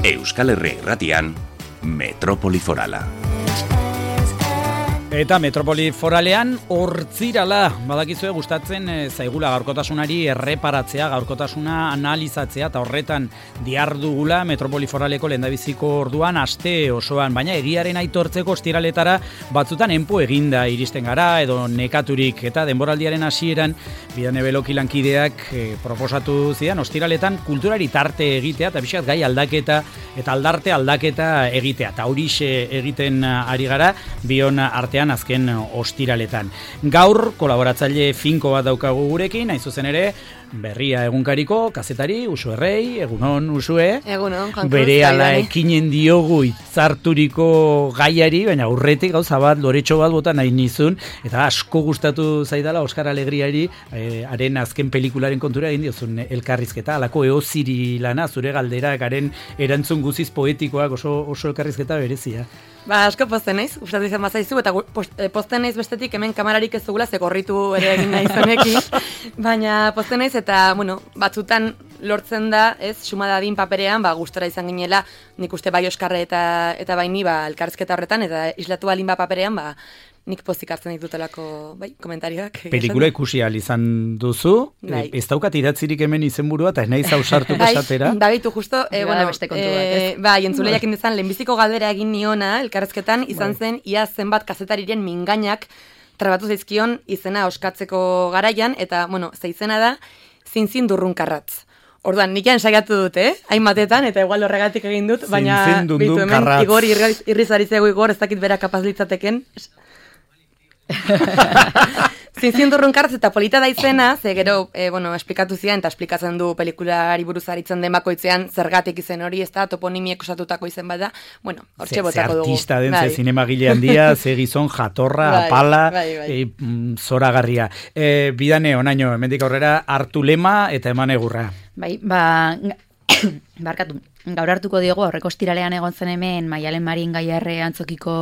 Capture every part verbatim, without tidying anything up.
Euskal Herria Irratian, Metropoli Forala. Eta Metropoli Foralean hortzirala, badakizue gustatzen e, zaigula gaurkotasunari erreparatzea, gaurkotasuna analizatzea, eta horretan diardugula Metropoli Foraleko lehendabiziko orduan aste osoan, baina egiaren aitortzeko ostiraletara batzutan enpo eginda iristen gara, edo nekaturik, eta denboraldiaren hasieran Bidane Beloki lankideak e, proposatu zidan ostiraletan kulturari tarte egitea, eta pixkat gai aldaketa, eta aldarte aldaketa egitea, eta horixe egiten ari gara, bion artean azken ostiraletan. Gaur kolaboratzaile finko bat daukagu gurekin, hain zuzen ere Berria egunkariko kazetari Uxue Errei, egunon Uxue. Egunon, Juan Cruz. Berehala ekinen diogu hitzarturiko gaiari, baina aurretik gauza bat, loretxo bat bota nahi nizun, eta asko gustatu zaidala Oskar Alegriari, eh, haren azken pelikularen kontura egin diozun elkarrizketa, alako eoziri lana, zure galderak, haren erantzun guziz poetikoak, oso, oso elkarrizketa berezia. Ba, asko pozten naiz, gustatu izan bazaizu, eta pozten naiz bestetik hemen kamerarik ez dugula, ze gorritu ere egin nahi zonekin, baina pozten naiz, eta, bueno, batzutan lortzen da, ez, sumadadin paperean, ba, gustora izan ginela, nik uste bai Oskarre eta, eta baini, ba, elkarrizketa horretan, eta islatu alin ba paperean, ba, nik pozik hartzen ditutelako, bai, komentarioak. Pelikula ikusi ahal izan duzu, bai. Ez daukat idatzirik hemen izenburua, eta ez nahi zausartuko esatera. Bai, bitu justo, e, bueno, beste kontu bat, ez? Bai, entzuleiak indizan, lehenbiziko galdera egin niona, elkarrezketan, izan bai. Zen, ia zenbat kazetariren mingainak trabatu zaizkion izena oskatzeko garaian, eta, bueno, ze izena da, zinzin durrunkarratz. Orduan, nik ensaiatu dut, eh? Hainbatetan, eta igual horregatik egin dut, baina, bitu hemen, Igor irrizaritzeago Igor, ez dakit bera kapaz litzateken. Zinzin durrunkarratz eta polita da izena, ze gero, e, bueno, esplikatu zian, eta esplikatzen du pelikulari buruz aritzen den bakoitzean zergatik izen hori, ez da, toponimiek osatutako izen bada, bueno, hortxe botako dugu. Ze artista den, bai. Ze zinemagile handia, ze gizon jatorra, bai, apala, bai, bai. E, zoragarria. E, bidane, onaino, hemendik aurrera, hartu lema eta eman egurra. Bai, ba, barkatu. Gaur hartuko diogu, aurreko ostiralean egon zen hemen Maialen Marin Gaiarre antzokiko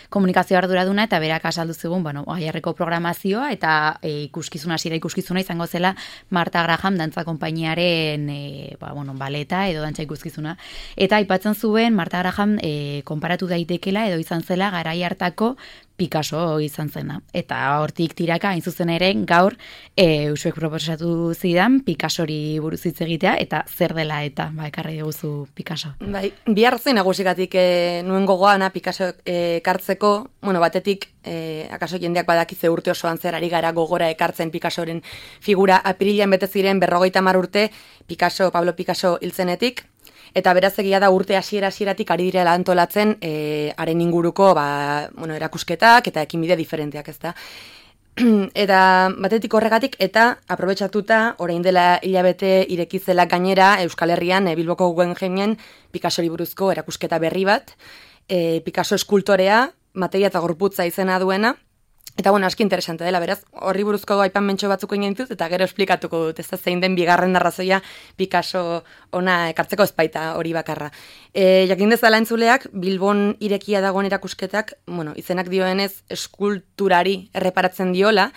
komunikazio arduraduna, eta berak azaldu zigun, bueno, Gaiarreko programazioa, eta e, ikuskizuna, hasiera ikuskizuna izango zela Marta Graham dantza konpainiaren e, ba, bueno, baleta edo dantza ikuskizuna. Eta aipatzen zuen Marta Graham e, konparatu daitekela edo izan zela garai hartako Picasso izan zena. Eta hortik tiraka, hain zuzen ere, gaur e, Uxuek proposatu zidan Picassori buruz hitz egitea, eta zer dela eta, ba, ekarri duzu Picasso. Bai, bihar zein nagusikatik e, nuen gogoana Picasso e, ekartzeko, bueno, batetik, e, akaso jendeak badakitze urte osoan zer ari gara gogora ekartzen Picassoren figura, apirilean bete ziren berrogeita hamar urte Picasso, Pablo Picasso hiltzenetik, eta beraz egia da urte hasiera hasieratik ari direla antolatzen e, haren inguruko ba, bueno, erakusketak eta ekinbide diferenteak, ezta. Eta batetik horregatik eta aprobetxatuta orain dela hilabete irekizela gainera Euskal Herrian e, Bilboko Guggenheimen Picassori buruzko erakusketa berri bat, e, Picasso eskultorea, materia eta gorputza izena duena. Eta, bueno, aski interesante dela, beraz, horri buruzko aipan mentxo batzuk egin ditut, eta gero esplikatuko dut, ez da zein den bigarren arrazoia Picasso ona ekartzeko ezpaita hori bakarra. E, jakin dezala entzuleak, Bilbon irekia dagoen erakusketak, bueno, izenak dioenez eskulturari erreparatzen diola,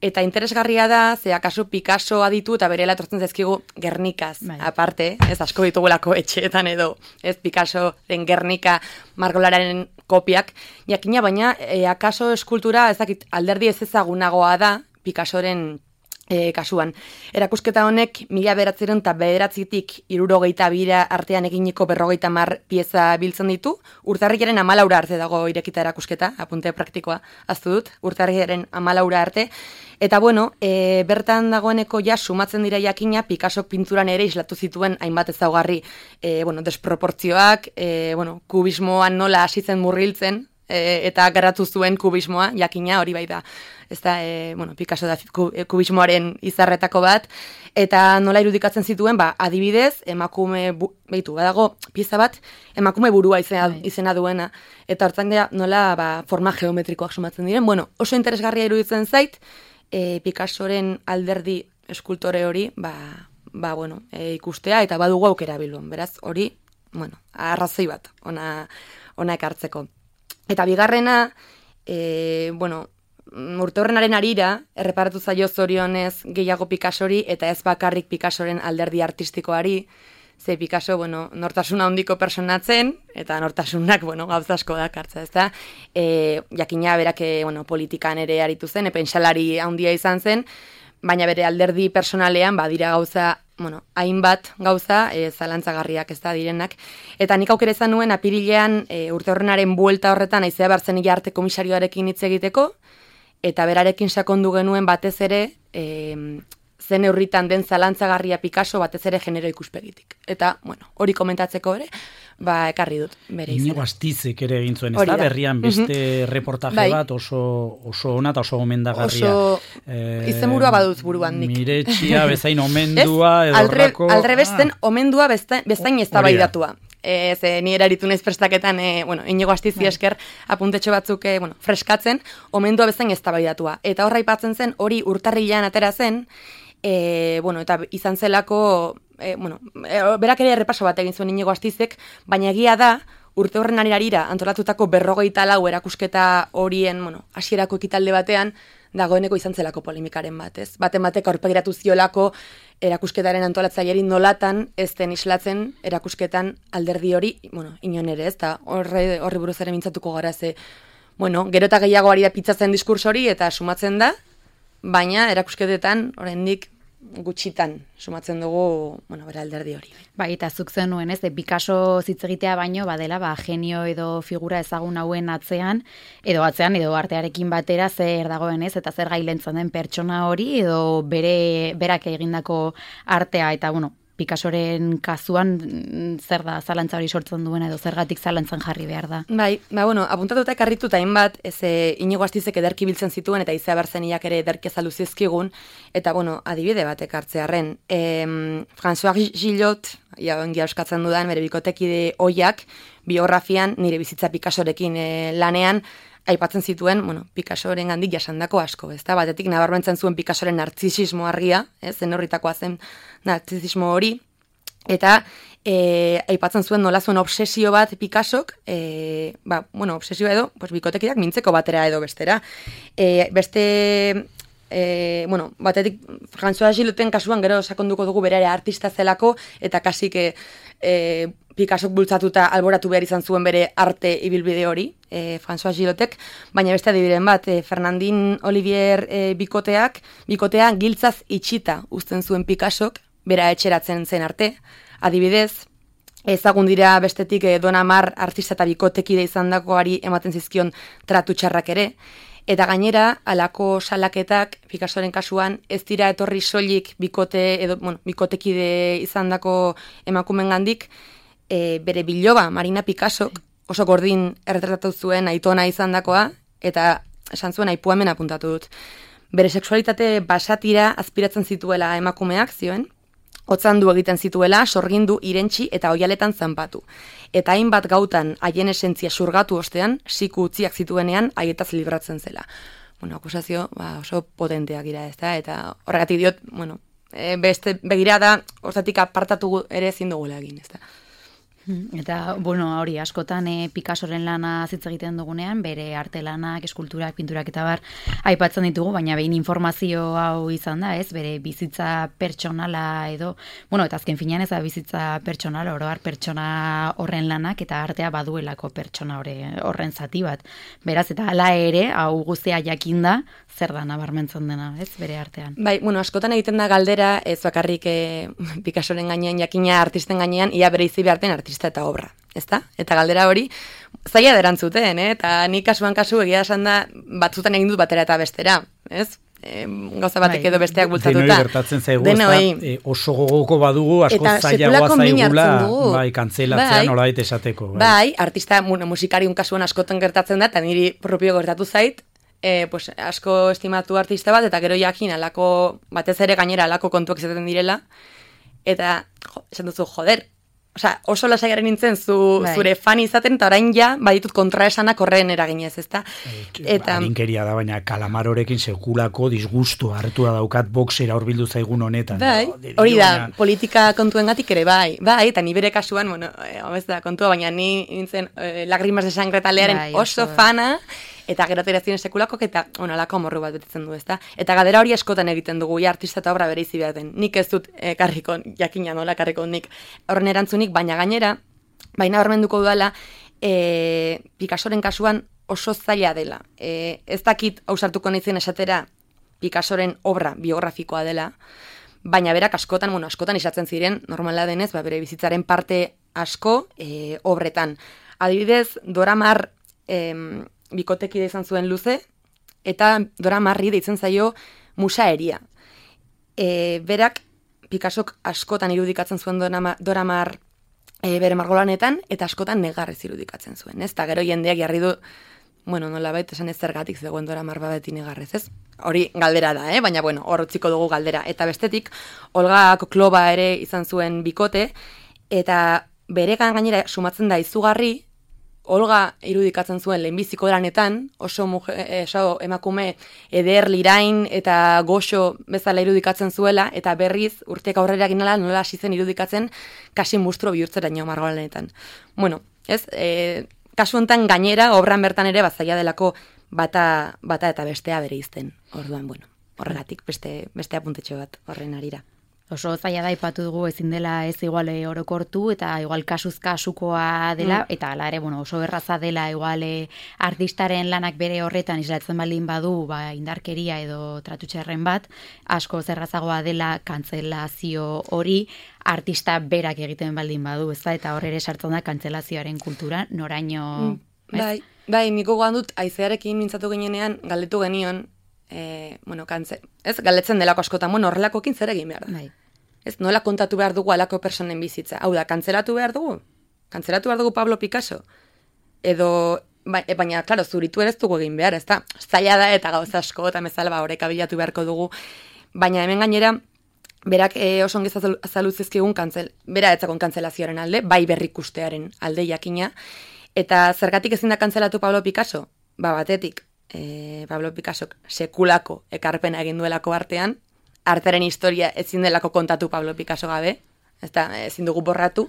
eta interesgarria da, ze akaso Picasso aditu eta berela etortzen zaizkigu Gernikaz, bai. Aparte, ez asko ditugulako etxeetan edo, ez Picasso den Gernika margolararen kopiak, jakina baina, e, akaso eskultura, ez dakit, alderdi ez ezagunagoa da Picassoren e, kasuan. Erakusketa honek, mila bederatzireun eta bederatzitik irurogeita bira artean eginiko berrogeita mar pieza biltzen ditu, urtarrilaren amalaura arte dago irekita erakusketa, apunte praktikoa, aztu dut, urtarrilaren amalaura arte, eta bueno, e, bertan dagoeneko ja sumatzen dira jakina Picasso pinturan ere islatu zituen hainbat ezaugarri, e, bueno, desproportzioak, e, bueno, kubismoan nola hasitzen murgiltzen, e, eta garatu zuen kubismoa, jakina hori bai da. Ez da, e, bueno, Picasso da kubismoaren izarretako bat, eta nola irudikatzen zituen, ba, adibidez, emakume, bu, behitu, badago, pieza bat, emakume burua izena, izena duena, eta hortzen dira, nola, ba, forma geometrikoak sumatzen diren, bueno, oso interesgarria iruditzen zait, e, Picassoren alderdi eskultore hori, ba, ba bueno, e, ikustea, eta badugu aukera Bilbon, beraz, hori, bueno, arrazoi bat, ona, ona ekartzeko. Eta bigarrena, e, bueno, urte horrenaren arira, erreparatu zaio zorionez gehiago Picassori, eta ez bakarrik Picassoren alderdi artistikoari, ze Picasso, bueno, nortasuna handiko personatzen, eta nortasunak, bueno, gauza asko dakartza, ezta? E, jakina berak, bueno, politikan ere aritu zen, pentsalari handia izan zen, baina bere alderdi personalean badira gauza, bueno, hainbat gauza e, zalantzagarriak ez da direnak. Eta nik aukera izan nuen apirilean e, urte horrenaren buelta horretan aizea bartzen arte komisarioarekin hitz egiteko, eta berarekin sakondu genuen batez ere e, zen eurritan den zalantzagarria Picasso batez ere genero ikuspegitik. Eta, bueno, hori komentatzeko ere, ba, ekarri dut bere izena. Inigo Astizek ere egin zuen, ez da, berrian beste mm-hmm. reportaje bai. bat oso, oso ona eta oso gomendagarria. Oso eh, izenburua baduz buruan nik. Miretxia, bezain omendua, edo Alre, horrako... Alrebesten ah. omendua bezain, bezain ez tabaidatua. Ez, e, ni eraritu naiz prestaketan, e, bueno, Inigo Astizi esker apuntetxo batzuk, e, bueno, freskatzen, omendua bezain ez tabaidatua. Eta horra ipatzen zen, hori urtarrilean atera zen, E, bueno, eta izan zelako, e, bueno, e, berak ere errepaso bat egin zuen Inigo Astizek, baina egia da, urte horren arira antolatutako berrogeita lau erakusketa horien, bueno, hasierako ekitalde batean, dagoeneko izan zelako polemikaren bat, ez? Baten batek aurpegiratu ziolako erakusketaren antolatzaileari nolatan ez den islatzen erakusketan alderdi hori, bueno, inon ere, ez? Eta horre, horri buruz ere mintzatuko gara, ze, bueno, gero eta gehiago ari da pitzatzen diskurs hori eta sumatzen da, baina erakusketetan oraindik gutxitan sumatzen dugu, bueno, bera alderdi hori. Bai, eta zuk zen nuen, ez, de Picasso hitz egitea baino, badela, ba, genio edo figura ezagun hauen atzean, edo atzean, edo artearekin batera zer dagoen, ez, eta zer gailentzen den pertsona hori, edo bere, berak egindako artea, eta, bueno, Picassoren kasuan zer da zalantza hori sortzen duen edo zergatik zalantzan jarri behar da. Bai, ba, bueno, apuntatuta ekarritu eta hainbat, ez e, Inigo Astizek ederki biltzen zituen eta Izea Barzeniak ere ederki azaldu zizkigun, eta, bueno, adibide bat ekartzearren. E, François Gillot, ja, ongi euskatzen dudan, bere bikotekide oiak, biografian, nire bizitza Picassorekin e, lanean, aipatzen zituen, bueno, Picassoren gandik jasandako asko, ezta? Batetik nabarmentzen zuen Picassoren nartzisismo argia, ez, zen horritakoa zen nartzisismo hori, eta e, aipatzen zuen nola zuen obsesio bat Picassok, e, ba, bueno, obsesio edo, pues, bikotekidak mintzeko batera edo bestera. E, beste... E, bueno, batetik François Giloten kasuan gero sakonduko dugu bere ere artista zelako eta kasik e, e, Picassok bultzatuta alboratu behar izan zuen bere arte ibilbide hori, e, François Gilotek, baina beste adibideen bat, e, Fernandin Olivier e, bikoteak, bikotea giltzaz itxita uzten zuen Picassok, bera etxeratzen zen arte, adibidez, ezagun dira bestetik e, Don Amar artista eta bikotekide izandakoari ematen zizkion tratu txarrak ere, eta gainera, halako salaketak, Picassoren kasuan, ez dira etorri soilik bikote, edo, bueno, bikotekide izandako emakumengandik, e, bere biloba, Marina Picassok, oso gordin erretratatu zuen aitona izandakoa, eta esan zuen aipua hemen apuntatu dut. Bere sexualitate basatira azpiratzen zituela emakumeak, zioen, hotzandu egiten zituela, sorgindu, irentsi eta oialetan zanpatu. Eta hainbat gautan haien esentzia surgatu ostean, siku utziak zituenean haietaz libratzen zela. Bueno, akusazio ba, oso potenteak gira ez da, eta horregatik diot, bueno, e, beste begirada hortatik apartatu ere ezin dugula egin, ez da. Eta, bueno, hori, askotan e, Picassoren lana zitz egiten dugunean, bere arte lanak, eskulturak, pinturak eta bar, aipatzen ditugu, baina behin informazio hau izan da, ez, bere bizitza pertsonala edo, bueno, eta azken finean ez da bizitza pertsonala, oroar pertsona horren lanak, eta artea baduelako pertsona horren zati bat. Beraz, eta hala ere, hau guztia jakinda, zer da nabarmentzen dena, ez, bere artean. Bai, bueno, askotan egiten da galdera, ez bakarrik e, Picassoren gainean jakina artisten gainean, ia bere izi beharten artista eta obra, ezta? Eta galdera hori, zaila derantzuten, eh? Eta nik kasuan kasu egia esan da, batzutan egin dut batera eta bestera, ez? E, gauza batek edo besteak bultzatuta. Denoi gertatzen zaigu, e, oso gogoko badugu, asko zailagoa zaigula, bai, kantzelatzea bai, nolabait esateko. Bai, bai artista, bueno, musikariun kasuan askotan gertatzen da, eta niri propio gertatu zait, E, pues, asko estimatu artista bat, eta gero jakin alako, batez ere gainera alako kontuak izaten direla, eta jo, esan duzu, joder, osea, oso lasaiaren nintzen zu, bai. Zure fan izaten, eta orain ja, baditut kontraesanak horren eraginez, ezta? Eta arinkeria da, baina Kalamarorekin sekulako disgustu hartu da daukat boxera horbildu zaigun honetan. Bai, no? Hori da, baina... politika kontuengatik ere, bai, bai, eta ni bere kasuan, bueno, eh, da kontua, baina ni nintzen eh, Lagrimas de Sangre taldearen bai, oso, oso fana, eta gero atera ziren sekulakok, eta onalako morru bat betetzen du, ezta? Eta gadera hori askotan egiten dugu, ja artista eta obra bereizi behar den. Nik ez dut eh, karriko, jakina nola karriko nik horren erantzunik, baina gainera, baina hormenduko dudala, e, Picassoren kasuan oso zaila dela. E, ez dakit ausartuko naizen esatera Picassoren obra biografikoa dela, baina berak askotan, bueno, askotan izatzen ziren, normala denez, ba, bere bizitzaren parte asko e, obretan. Adibidez, Dora Maar e, bikotekide izan zuen luze, eta Dora Marri deitzen zaio musaeria. E, berak, Picassok askotan irudikatzen zuen Dora Maar e, bere margolanetan, eta askotan negarrez irudikatzen zuen, ez? Eta gero jendeak jarri du, bueno, nola baita esan ez zergatik zegoen Dora Maar babeti negarrez, ez? Hori galdera da, eh? Baina, bueno, hor utziko dugu galdera. Eta bestetik, Olga Kokloba ere izan zuen bikote, eta bere gainera sumatzen da izugarri, Olga irudikatzen zuen lehenbiziko lanetan, oso, mujer, oso emakume eder, lirain eta goxo bezala irudikatzen zuela, eta berriz urteak aurrera ginala nola hasi zen irudikatzen kasi mustro bihurtzeraino margolanetan. Bueno, ez, e, kasu honetan gainera, obran bertan ere bazaia delako bata, bata eta bestea bere izten. Orduan, bueno, horregatik beste, beste apuntetxo bat horren arira. Oso zaila da ipatu dugu ezin dela ez igual orokortu eta igual kasuz kasukoa dela mm. eta hala ere bueno, oso erraza dela igual artistaren lanak bere horretan islatzen baldin badu ba, indarkeria edo tratutxerren bat asko errazagoa dela kantzelazio hori artista berak egiten baldin badu, ezta eta hor ere sartzen da kantzelazioaren kultura noraino mm. Bai, bai, niko goan dut aizearekin mintzatu ginenean galdetu genion E, bueno, kantze, ez, galdetzen delako askotan, bueno, horrelakokin zer egin behar da. Bai. Ez, nola kontatu behar dugu alako personen bizitza. Hau da, kantzelatu behar dugu? Kantzelatu behar dugu Pablo Picasso? Edo, ba, e, baina, klaro, zuritu ere ez dugu egin behar, ez da? Zaila da eta gauza asko eta mezala ba, horrek abilatu beharko dugu. Baina hemen gainera, berak e, oso ongi azaluzizkigun kantzel, bera etzakon kantzelazioaren alde, bai berrikustearen alde jakina. Eta zergatik ezin da kantzelatu Pablo Picasso? Ba, batetik, E, Pablo Picassok sekulako ekarpena egin duelako artean, artearen historia ezin delako kontatu Pablo Picasso gabe, ez da, ezin dugu borratu,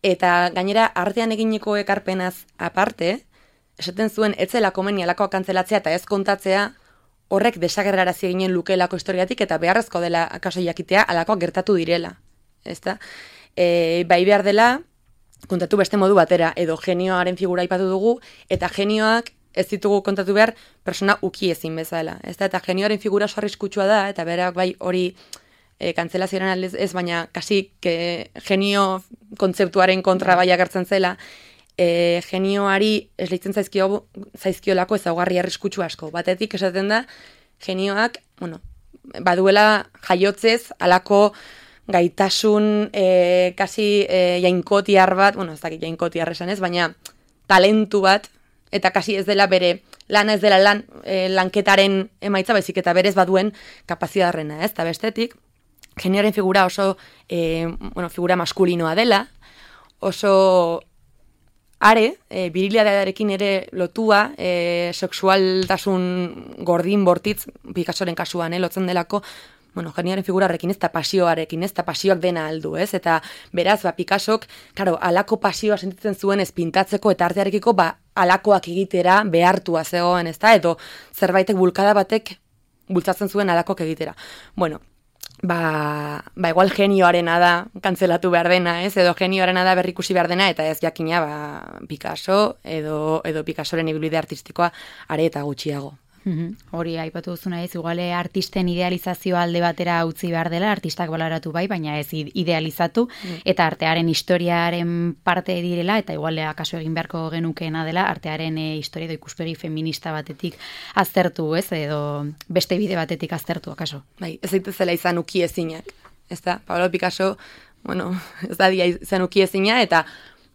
eta gainera artean eginiko ekarpenaz aparte, esaten zuen etzela komeni alakoa kantzelatzea eta ez kontatzea horrek desagerrarazi eginen lukeelako historiatik eta beharrezko dela akaso jakitea alakoak gertatu direla, ez da? E, bai behar dela kontatu beste modu batera, edo genioaren figura ipatu dugu, eta genioak ez ditugu kontatu behar persona uki ezin bezala. Ez da, eta genioaren figura oso arriskutsua da, eta berak bai hori e, kantzelazioaren aldez ez, baina kasi que genio kontzeptuaren kontra bai agertzen zela, e, genioari ez lehitzen zaizkio, zaizkiolako ezaugarri arriskutsu asko. Batetik esaten da, genioak, bueno, baduela jaiotzez, alako gaitasun e, kasi e, jainkotiar bat, bueno, ez dakit jainkotiar esan ez, baina talentu bat, eta kasi ez dela bere, lana ez dela lan, e, lanketaren emaitza, baizik eta berez baduen kapazidarrena, ez? Eta bestetik, genioaren figura oso, e, bueno, figura maskulinoa dela, oso are, e, virilitatearekin ere lotua, e, sexualtasun gordin bortitz, Picassoren kasuan, eh, lotzen delako, bueno, genioaren figurarekin ez, eta pasioarekin ez, eta pasioak dena aldu, ez? Eta beraz, ba, Picassok, karo, alako pasioa sentitzen zuen ez pintatzeko eta artearekiko, ba, alakoak egitera behartua zegoen, ez da? Edo zerbaitek bulkada batek bultzatzen zuen alakoak egitera. Bueno, ba, ba igual genioarena da kantzelatu behar dena, ez? Edo genioarena da berrikusi behar dena, eta ez jakina, ba, Picasso edo, edo Picassoren ibilbide artistikoa are eta gutxiago. Mm-hmm. Hori aipatu duzuna ez, iguale artisten idealizazioa alde batera utzi behar dela, artistak baloratu bai, baina ez idealizatu, mm. eta artearen historiaren parte direla, eta iguale akaso egin beharko genukeena dela, artearen e, historia edo ikuspegi feminista batetik aztertu, ez, edo beste bide batetik aztertu, akaso. Bai, ez daitezela izan uki ezinak, ez da, Pablo Picasso, bueno, ez da dia izan uki ezina, eta,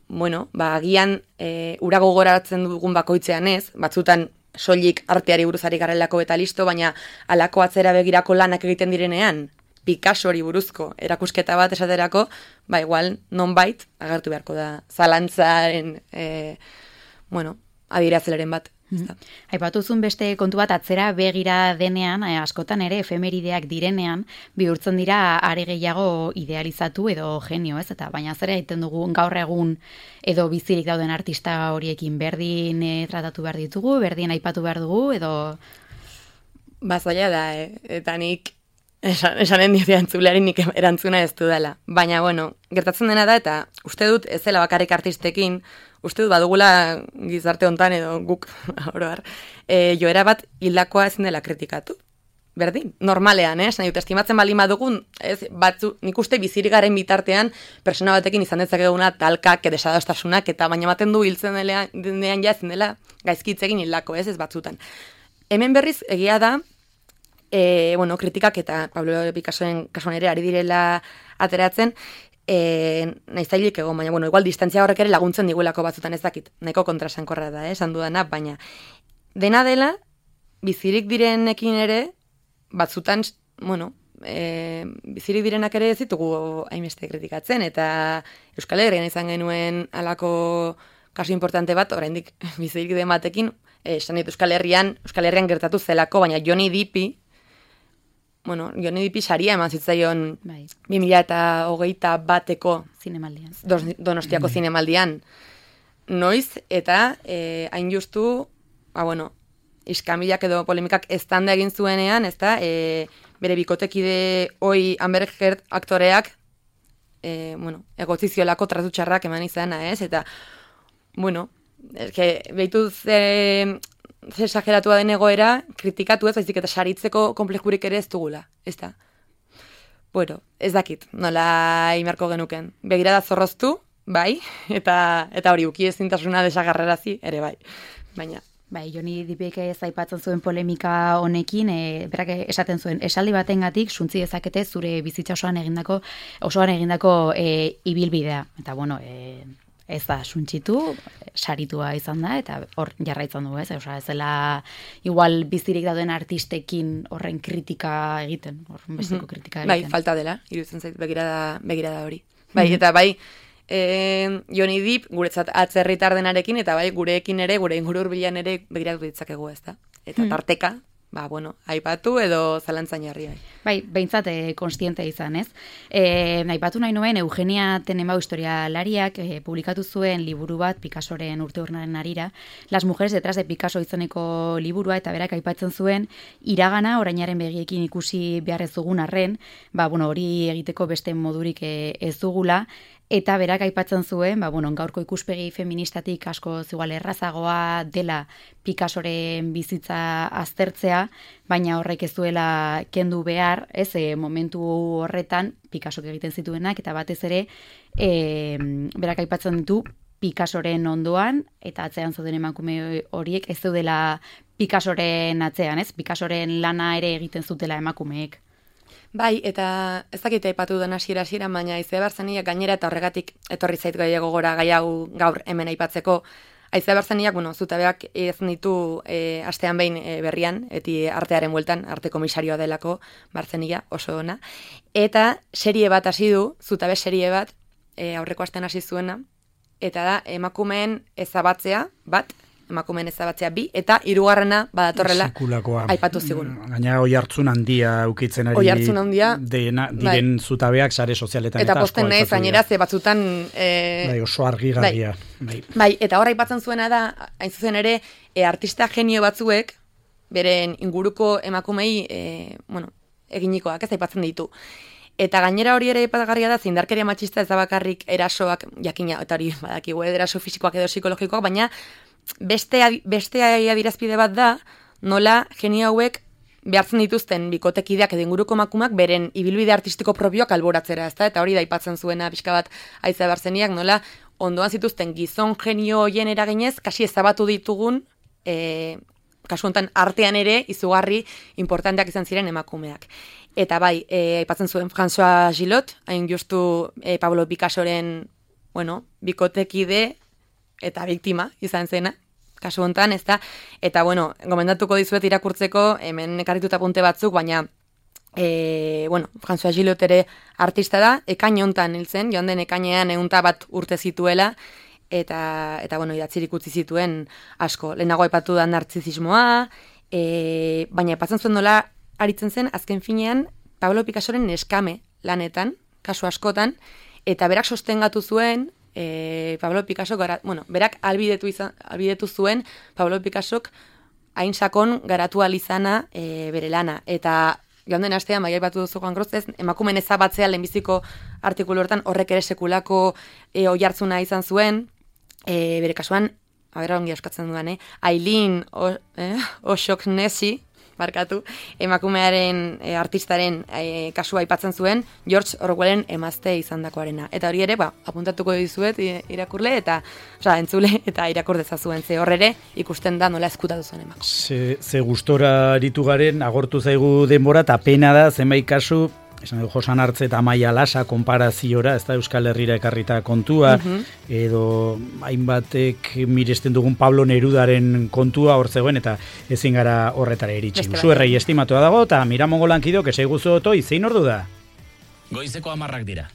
bueno, ba, agian e, ura gogoratzen dugun bakoitzean ez, batzutan soilik arteari buruzari garelako eta listo, baina alako atzera begirako lanak egiten direnean, Picassori buruzko erakusketa bat esaterako, ba igual nonbait agertu beharko da zalantzaren, e, bueno, adierazleren bat. Aipatuzun beste kontu bat atzera begira denean, eh, askotan ere efemerideak direnean, bihurtzen dira are gehiago idealizatu edo genio, ez? Eta baina zera egiten dugu gaur egun edo bizirik dauden artista horiekin berdin eh, tratatu behar ditugu, berdin aipatu behar dugu, edo... Bazoia da, eh? Eta nik esan, esanen dira entzuleari nik erantzuna ez du dela. Baina, bueno, gertatzen dena da, eta uste dut ez zela bakarrik artistekin, uste dut badugula gizarte hontan edo guk, oroar, e, joera bat hildakoa ezin dela kritikatu. Berdin, normalean, eh? Nahi dut, estimatzen bali madugun, ez, batzu, nik uste bizirik garen bitartean, persona batekin izan dezakeguna talkak, desadostasunak, eta baina maten du hiltzen denean ja ezin dela gaizkitzegin hildako, ez, ez batzutan. Hemen berriz, egia da, e, bueno, kritikak eta Pablo Picassoren kasuan ere ari direla ateratzen, E, naizailik egon, baina, bueno, igual distantzia horrek ere laguntzen diguelako batzutan ez dakit, nahiko kontrasankorra da, eh, esan dudana, baina dena dela, bizirik direnekin ere, batzutan, bueno, e, bizirik direnak ere ez ditugu hainbeste kritikatzen, eta Euskal Herrian izan genuen alako kasu importante bat, oraindik bizirik den batekin, esan dit Euskal Herrian, Euskal Herrian gertatu zelako, baina Johnny Deppi, bueno, Johnny Deppi saria eman zitzaion bai. bi mila hogeita bateko zinemaldian. Donostiako mm. zinemaldian. Noiz, eta eh, hain justu, ba, bueno, iskamilak edo polemikak eztanda egin zuenean, ez da, e, bere bikotekide hoi Amber Heard aktoreak, e, bueno, egotziziolako tratutxarrak eman izana, ez? Eta, bueno, eske, behituz... E, exageratua den egoera, kritikatu ez, baizik eta saritzeko konplexurik ere ez dugula, ez da. Bueno, ez dakit, nola imarko genuken. Begirada zorroztu, bai, eta eta hori uki ezintasuna desagarrarazi, ere bai, baina... Bai, Johnny Deppek ez aipatzen zuen polemika honekin, e, berak esaten zuen, esaldi batengatik suntzi dezakete zure bizitza osoan egindako, osoan egindako e, ibilbidea. Eta bueno, e, ez da suntsitu, saritua izan da, eta hor jarraitzen du, ez? Osea, ez dela igual bizirik dauden artistekin horren kritika egiten, horren besteko kritika egiten. Bai, falta dela, iruditzen zait, begirada, begirada hori. Bai, eta bai, e, Johnny Depp guretzat atzerritar denarekin, eta bai, gureekin ere, gure inguru hurbilan ere begiratu ditzakegu, ez da? Eta tarteka, ba, bueno, aipatu edo zalantzain jarri. Bai, bai behintzat e, konstiente izan, ez? E, aipatu nahi nuen, Eugenia Tenenbau historialariak e, publikatu zuen liburu bat Picassoren urte urnaren harira, Las mujeres detrás de Picasso izeneko liburua, eta berak aipatzen zuen, iragana orainaren begiekin ikusi behar ez dugun arren, ba, bueno, hori egiteko beste modurik e, ez dugula, eta berak aipatzen zuen, ba, bueno, gaurko ikuspegi feministatik asko zigual errazagoa dela Picassoren bizitza aztertzea, baina horrek ez duela kendu behar, ez, e, momentu horretan Picassok egiten zituenak, eta batez ere, e, berak aipatzen ditu Picassoren ondoan, eta atzean zauden emakume horiek ez zeudela Picassoren atzean, ez? Picassoren lana ere egiten zutela emakumeek. Bai, eta ez dakite aipatu den hasiera hasiera, baina Aizea Barzaniak gainera eta horregatik etorri zait gehiago gora gai hau gaur hemen aipatzeko. Aizea Barzaniak, bueno, zutabeak ez ditu e, astean behin e, berrian, eti artearen bueltan, arte komisarioa delako Barzania, oso ona. Eta serie bat hasi du, zutabe serie bat, e, aurreko astean hasi zuena, eta da emakumeen ezabatzea bat, emakumeen ezabatzea bi, eta hirugarrena badatorrela sekulakoa aipatu zigun. Gaina oi hartzun handia ukitzen ari oi hartzun handia, dena, diren bai. Zutabeak sare sozialetan eta, eta posten nahi zainera ze batzutan e... bai, oso argigarria. Bai. Bai. bai, eta hor aipatzen zuena da, hain zuzen ere, e, artista genio batzuek, beren inguruko emakumei, e, bueno, eginikoak ez aipatzen ditu. Eta gainera hori ere aipagarria da, zindarkeria matxista ez da bakarrik erasoak, jakina, eta hori badakigu, eraso fisikoak edo psikologikoak, baina beste, beste adirazpide bat da, nola genio hauek behartzen dituzten bikotekideak edo inguruko emakumeak beren ibilbide artistiko propioak alboratzera, ezta? Eta hori da aipatzen zuena pixka bat Aizea Barzeniak, nola ondoan zituzten gizon genio hoien eraginez, kasi ezabatu ditugun, e, kasu honetan artean ere izugarri importanteak izan ziren emakumeak. Eta bai, e, aipatzen zuen François Gillot, hain justu e, Pablo Picassoren, bueno, bikotekide eta biktima izan zena, kasu honetan, ez da, eta bueno, gomendatuko dizuet irakurtzeko, hemen ekarrituta punte batzuk, baina, e, bueno, François Gillot ere artista da, ekain honetan hiltzen, joan den ekainean egunta bat urte zituela, eta, eta bueno, idatzirik utzi zituen asko. Lehenago aipatu da narzizismoa, e, baina aipatzen zuen nola aritzen zen, azken finean, Pablo Picassoren neskame lanetan, kasu askotan, eta berak sostengatu zuen, e, Pablo Picasso, gara, bueno, berak albidetu, izan, albidetu zuen, Pablo Picassok hain sakon garatu alizana e, bere lana. Eta joan den astean, bai aipatu duzu Juan Grozez, emakumen ezabatzea lehenbiziko artikulu hortan horrek ere sekulako e, oihartzuna izan zuen, e, bere kasuan, abera ongi askatzen duan, eh? Aileen eh? O'Shaughnessy, barkatu, emakumearen e, artistaren e, kasua aipatzen zuen, George Orwellen emazte izandakoarena. Eta hori ere, ba, apuntatuko dizuet irakurle, eta, osea, entzule, eta irakur dezazuen, ze horrere ikusten da nola eskutatu zuen emakume. Ze, ze gustora aritu garen, agortu zaigu denbora, eta pena da, zenbait kasu, esan du Josan Artze eta Amaia Lasa konparaziora, ez da Euskal Herrira ekarrita kontua, uh-huh. edo hainbatek miresten dugun Pablo Nerudaren kontua hor zegoen, eta ezin gara horretara iritsi. Zuerrei estimatua dago, eta Miramongo lankidok esai guzu otoi, zein ordu da? Goizeko hamarrak dira.